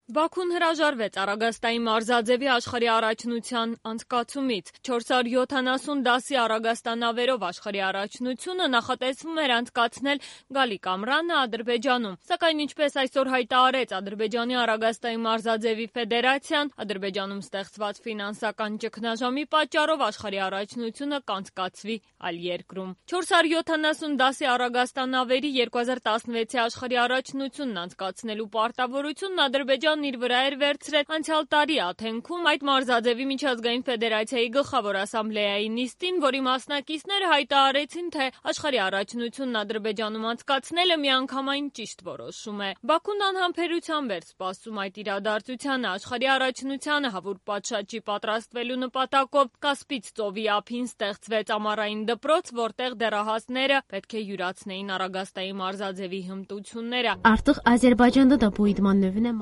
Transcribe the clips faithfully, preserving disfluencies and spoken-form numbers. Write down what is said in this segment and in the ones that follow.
Բաքուն հրաժարվեց Արագաստանի մարզաձևի աշխարհի առաջնության անցկացումից։ չորս հարյուր յոթանասուն դասի Արագաստանավերով աշխարհի առաջնությունը նախատեսվում էր անցկացնել գալիք ամռանը Ադրբեջանում։ Սակայն ինչպես այսօր հայտարարեց Ադրբեջանի Արագաստանի մարզաձևի ֆեդերացիան, Ադրբեջանում ստեղծված ֆինանսական ճգնաժամի պատճառով աշխարհի առաջնությունը կանցկացվի այլ երկրում։ չորս հարյուր յոթանասուն դասի Արագաստանավերի երկու հազար տասնվեցի աշխարհի առաջնությունն անցկացնելու պարտավորությունն Ադրբեջանը իր վրա էր վերցրել անցյալ տարի Աթենքում այդ մարզաձևի միջազգային ֆեդերացիայի գլխավոր ասամբլեայի նիստին, որի մասնակիցները հայտարարեցին, թե աշխարհի առաջնությունն Ադրբեջանում անցկացնելը միանգամայն ճիշտ որոշում է։ Բաքուն անհամբերությամբ էր սպասում այդ իրադարձությանը։ Աշխարհի առաջնությանը հավուր պատշաճի պատրաստվելու նպատակով Կասպից ծովի ափին ստեղծվեց ամառային դպրոց, որտեղ դեռահասները պետք է յուրացնեին Արագաստանի մարզաձևի հմտությունները։ Artıq Azərbaycanda da bu idman növünə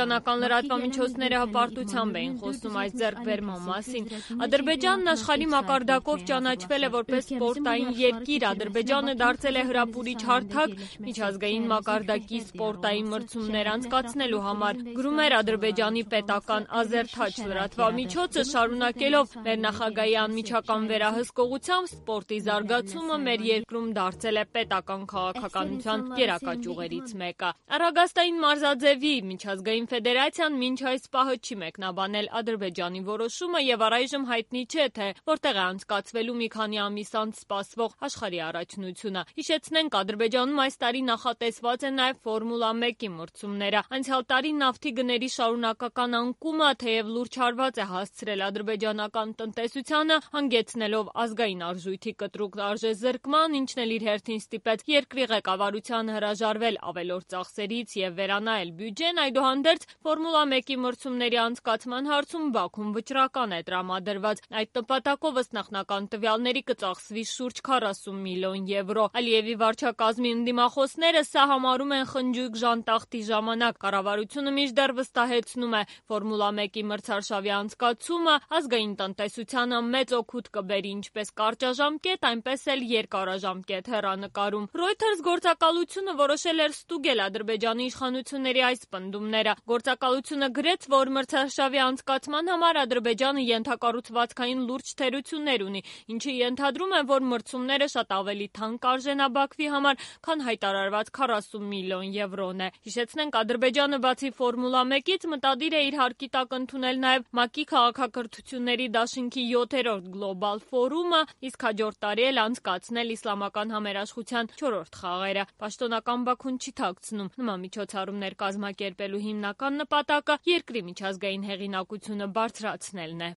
Ադրբեջանական լրատվամիջոցները հպարտությամբ էին խոսում այս ձեռքբերման մասին։ Ադրբեջանն աշխարհի մակարդակով ճանաչվել է որպես սպորտային երկիր։ Ադրբեջանը դարձել է հրապուրիչ հարթակ միջազգային մակարդակի սպորտային մրցումներ անցկացնելու համար, գրում էր Ադրբեջանի պետական Ազերթաչ լրատվամիջոցը, շարունակելով մեր նախագահի անմիջական վերահսկողությամբ սպորտի զարգացումը մեր երկրում դարձել է պետական քաղաքականության գերակա ճյուղերից մեկը։ Արագաստանի մարզաձևի միջազգային ֆեդերացիան մինչ այս պահը չի մեկնաբանել Ադրբեջանի որոշումը եւ առայժմ հայտնի չէ, թե որտեղ է անցկացվելու մի քանի ամիս անց սպասվող աշխարհի առաջնությունը։ Հիշեցնենք, Ադրբեջանում այս տարի նախատեսված է նաեւ Ֆորմուլա մեկի մրցումները։ Անցյալ տարի նավթի գների շարունակական անկումը թեև լուրջ հարված է հասցրել ադրբեջանական տնտեսությանը, հանգեցնելով ազգային արժույթի կտրուկ արժեզրկման, ինչն էլ իր հերթին ստիպեց երկրի ղեկավարությանը հրաժարվել ավելորդ ծախսերից եւ վերանայել բյուջեն, այդուհանդերձ Ֆորմուլա մեկի մրցումների անցկացման հարցում Բաքուն վճռական է տրամադրված։ Այդ նպատակով ըստ նախնական տվյալների կծախսվի շուրջ քառասուն միլիոն եվրո։ Ալիևի վարչակազմի ընդդիմախոսները սա համարում են խնջույք ժանտախտի ժամանակ։ Կառավարությունը մինչդեռ վստահեցնում է, Ֆորմուլա մեկի մրցարշավի անցկացումը ազգային տնտեսությանը մեծ օգուտ կբերի ինչպես կարճաժամկետ, այնպես էլ երկարաժամկետ հեռանկարում։ Reuters գործակալությունը որոշել էր ստուգել Ադրբեջանի իշխանությունների այս պնդումները։ Գործակալությունը գրեց, որ մրցարշավի անցկացման համար Ադրբեջանը ենթակառուցվածքային լուրջ թերություններ ունի, ինչը ենթադրում է, որ մրցումները շատ ավելի թանկ կարժենաբակվի համար, քան հայտարարված քառասուն միլիոն եվրոն է։ Հիշեցնենք, Ադրբեջանը բացի Ֆորմուլա մեկից մտադիր է իր հարկի տակ ընդունել նաև ՄԱԿ-ի քաղաքակրթությունների դաշինքի յոթերորդ գլոբալ ֆորումը, իսկ հաջորդ տարի էլ անցկացնել իսլամական համերաշխության չորրորդ խաղերը։ Պաշտոնական Բաքուն չի թաքցնում, նման միջոցառումներ կազմակերպելու հիմնական նպատակը երկրի միջազգային հեղինակությունը բարձրացնելն է։